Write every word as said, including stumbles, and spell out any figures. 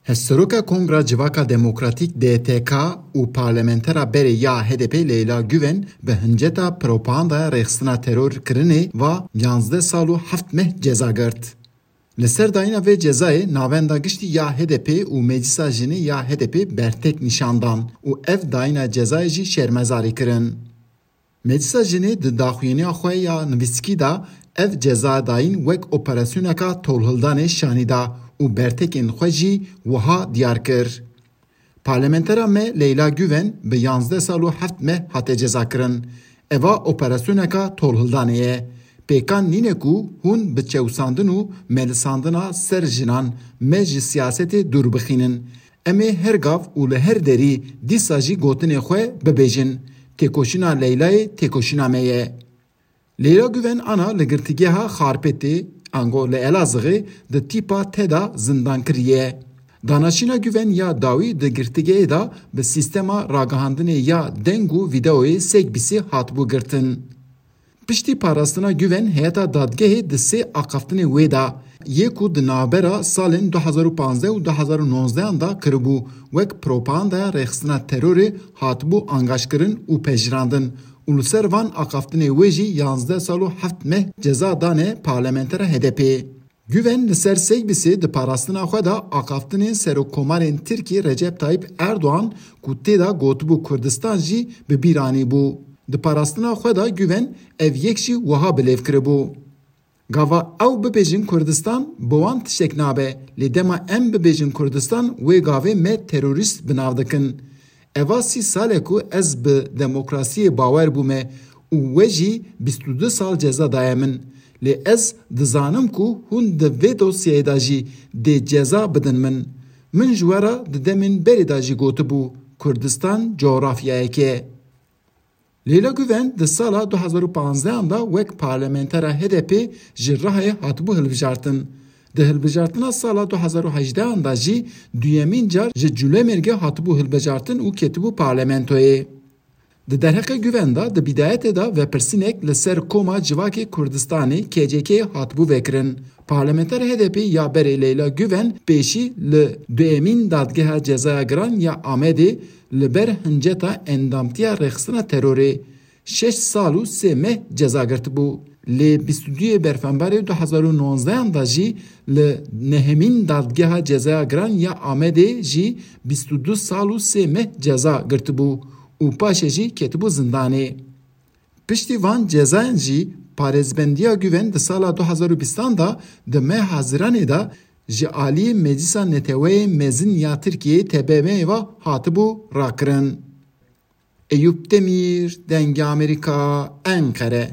Hevseroka Kongra Civaka Demokratîk D T K û parlamentera berê ya H D P Leyla Guven bi hinceta propagandaya rêxistina teror kirinê va yanzdeh sal û heft meh ceza girt. Li ser dayîna vê cezayê navenda giştî ya H D P û Meclisa Jinê ya H D P bertek nîşan dan û ev dayîna cezayê jî şermezarî kirin. Meclisa Jinê di daxuyaniya xwe ya nivîskî de ev ceza dayîn wek operasyoneka tolhildanê şanî da û bertekên xwe jî wiha diyar kir. Parlamentera me Leyla Guven bi yanzdeh sal û heft meh hate cezakirin. Eva operasyoneka tolhildanê ye. Pêkan nîne ku hûn bi çewsandin û melisandina ser jinan me ji siyasetê dûr bixînin. Em ê her gav û li her derî dîsa jî gotinê xwe bibêjin. Têkoşîna Leylayê têkoşîna me ye. Leyla Guven ana li girtîgeha Xarpêtê, ango li Elazığê di tîpa te de zindan kiriye. Danaşîna Guven ya dawî di girtîgehê de bi sîstema ragihandinê ya deng û vîdeoyê Segbîsê hatibû girtin. Piştî parastina Guven heyeta dadgehê di sê axaftinê wê de yê ku di navbera salên du hezar û panzdeh û du hezar û nozdehan de kiribû, wek propagandaya rêxistina terorê hatibû angaşkirin û pejirandin û li ser van axaftinê wê jî yanzdeh sal û heft meh ceza dane parlamentera H D P. Guven li ser Segbîsê di parastina xwe de axaftinên Serokkomarên Tirkî Recep Tayyip Erdoğan ku tê de gotibû Kurdistan jî bi bîr anîbû. Di parastina xwe de Guven ev yek jî wiha bilêv kiribû. Gava ew bibêjin Kurdistan, bi wan tiştek nabe, lê dema em bibêjin Kurdistan, wê gavê me terorîst bi nav dikin. Eva sî sal e ku ez bi demokrasiyê bawer bûme û we jî bîst û du sal ceza daye min. Lê ez dizanim ku hûn di vê dosyayê de jî dê ceza bidin min. Min ji we re di demên berê de jî gotibû, Kurdistan cografyayek e. Leyla Guven di sala du hezar û panzdeh de wek parlamentera H D P ji Rihayê hatibû hilbijartin. Di hilbijartina sala du hezar û hejdeh de jî duyemîn car ji Culemêrgê hatibû hilbijartin û ketibû parlamentoyê. Di derheqê Guven de di bîdayetê de vepirsînek li ser koma civakê Kurdistanê K C K hatibû vekirin. Parlamenter H D P ya berê Leyla Guven pêşî li duyemîn dadgeha cezaya giran ya Amedê li ber hinceta endamtiya rêxistina terorê şeş sal û sê meh ceza girtibû. Lê bîst û duyê berfembarê du hezar û nozdehan de jî li nehemîn dadgeha cezaya giran ya Amedê jî bîst û du sal û sê meh ceza girtibû û paşê jî ketibû zindanê. Piştî van cezayan jî parêzbendiya Guven di sala du hezar û bîstan de di meha Haziranê de ji aliyê Meclisa Neteweyê Mezin ya Tirkiyeyê T B M ve hatibû rakirin. Eyûp Demîr, Dengê Amerîka, Enqere.